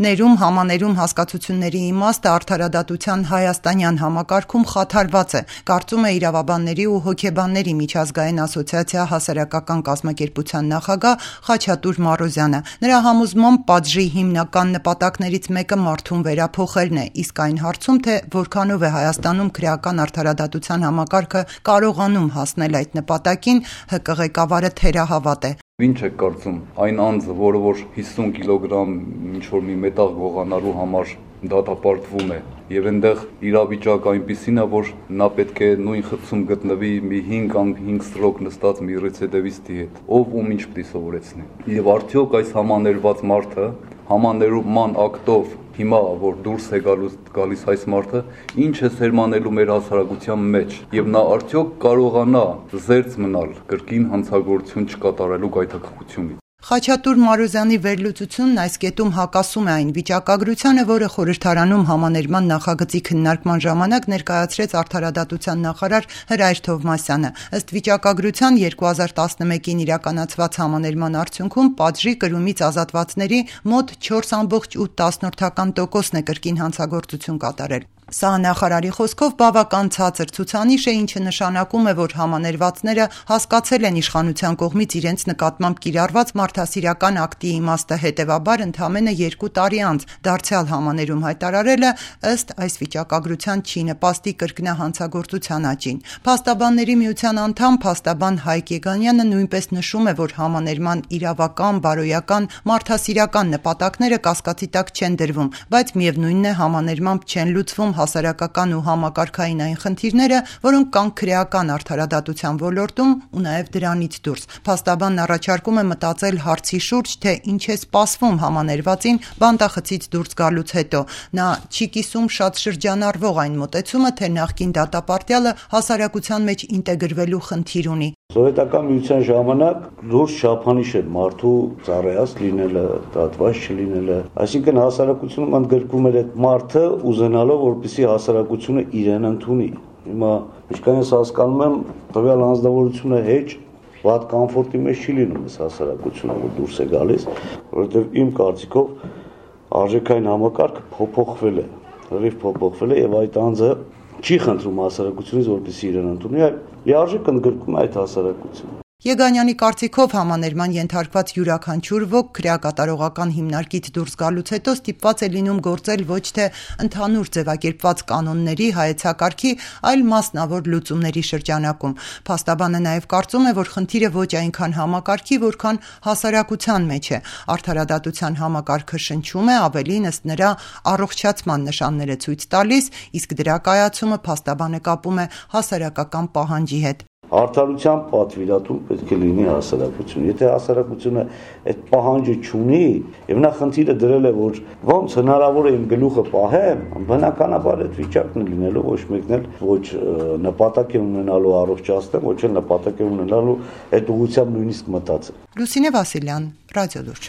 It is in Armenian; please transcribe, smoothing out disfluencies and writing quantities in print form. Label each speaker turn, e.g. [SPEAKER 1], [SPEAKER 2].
[SPEAKER 1] Ներում համաներում հասկացությունների իմաստը արդարադատության հայաստանյան համակարգում խաթարված է, կարծում է իրավաբանների ու հոգեբանների միջազգային ասոցիացիա հասարակական կազմակերպության նախագահ Խաչատուր Մարոզյանը։ Նրա համոզմամբ պատժի հիմնական նպատակներից մեկը մարդուն վերափոխելն է, իսկ այն հարցում, թե որքանով է Հայաստանում քրեական արդարադատության համակարգը կարողանում հասնել այդ նպատակին, ՀԿ ղեկավարը թերահավատ է։
[SPEAKER 2] Ինչ եք կարծում, այն անձը, որը 50 կիլոգրամ ինչ-որ մի մետաղ գողանալու համար դատապարտվում է, եւ այնտեղ իրավիճակ այնպիսին է, որ նա պետք է նույն խցում գտնվի մի 5 ստրոկ նստած մի ռեցեդեվիստի հետ, ով ում ինչ պիտի սովորեցնի։ Եվ արդյոք այս համաներված մարդը համաներման ակտով հիմա որ դուրս է գալիս այս մարդը, ինչ է սերմանելու մեր հասարակության մեջ, եւ նա արդյոք կարողանա զերծ մնալ կրկին հանցագործություն չկատարելու գայթակղությունից։
[SPEAKER 1] Խաչատուր Մարոզյանի վերլուծությունն այս կետում հակասում է այն վիճակագրությանը, որը խորհրդարանում համաներման նախագծի քննարկման ժամանակ ներկայացրեց արդարադատության նախարար Հրայր Թովմասյանը։ Ըստ վիճակագրության 2011-ին իրականացված համաներման արդյունքում պատժի կրումից ազատվածների մոտ 4,8% է կրկին հանցագործություն կատարել։ Սա նախարարի խոսքով բավական ցածր ցուցանիշ է, ինչը նշանակում է, որ համաներվածները հասկացել են իշխանության կողմից իրենց նկատմամբ կիրառված մարդասիրական ակտի իմաստը, հետևաբար ընդամենը 2 տարի անց դարձյալ համաներում հայտարարելը ըստ այս վիճակագրության չի նպաստի կրկնահանցագործության աճին։ Փաստաբանների միության անդամ փաստաբան Հայկ Եգանյանը նույնպես նշում է, որ համաներման իրավական, բարոյական, մարդասիրական նպատակները կասկածի տակ չեն դրվում, բայց միևնույնն է համաներմամբ չեն լուծվում հասարակական ու համակարգային այն խնդիրները, որոնք կան քրեական արդարադատության ոլորտում ու նաև դրանից դուրս։ Փաստաբանն առաջարկում է մտածել հարցի շուրջ, թե ինչ է սպասվում համաներվածին բանտախցից դուրս գալուց հետո։ Նա չի կիսում շատ շրջանառվող այն մոտեցումը, թե նախկին դատապարտյալը հասարակության մեջ ինտեգրվելու խնդիր ունի։
[SPEAKER 3] Սովետական միության ժամանակ լուրջ չափանիշ էր մարդու ծառայած լինելը, դատված չլինելը, այսինքն հասարակությունում ընդգրկում էր այդ մարդը ուզենալով, որպեսզի հասարակությունը իրեն ընդունի։ Հիմա ինչքան ես հասկանում եմ, տվյալ անձնավորությունը հեչ վատ կոմֆորտի մեջ չի լինում այս հասարակությունը, որ դուրս է գալիս, որովհետև իմ կարծիքով արժեքային համակարգը փոփոխվել է, լրիվ փոփոխվել է եւ այդ անձը չի խնդրում հասարակությունից, որպեսզի իրեն ընդունի, այլ լիարժեք ընդգրկում է այդ հասարակությունը։
[SPEAKER 1] Եգանյանի կարծիքով համաներման ենթարկված յուրաքանչյուր ոք քրեակատարողական հիմնարկից դուրս գալուց հետո ստիպված է լինում գործել ոչ թե ընդհանուր ձևակերպված կանոնների, հայեցակարգի, այլ մասնավոր լուծումների շրջանակում։ Փաստաբանը նաև կարծում է, որ խնդիրը ոչ այնքան համակարգի, որքան հասարակության մեջ է։ Արդարադատության համակարգը շնչում է, ավելին ըստ նրա առողջացման նշաններ է ցույց տալիս, իսկ դրա կայացումը փաստաբանը կապում է հասարակական պահանջի հետ։
[SPEAKER 3] Արդարության պատվիրատու պետք է լինի հասարակություն։ Եթե հասարակությունը այդ պահանջը չունի, եւ նա խնդիրը դրել է, որ ոնց հնարավոր է իմ գլուխը պահեմ, բնականաբար այդ վիճակն է լինելու, ոչ մեկն էլ ոչ նպատակ է ունենալու առողջացնել, ոչ էլ նպատակ է ունենալու այդ ուղղությամբ նույնիսկ մտածել։
[SPEAKER 1] Լուսինե Վասիլյան, Ռադիոլուրջ։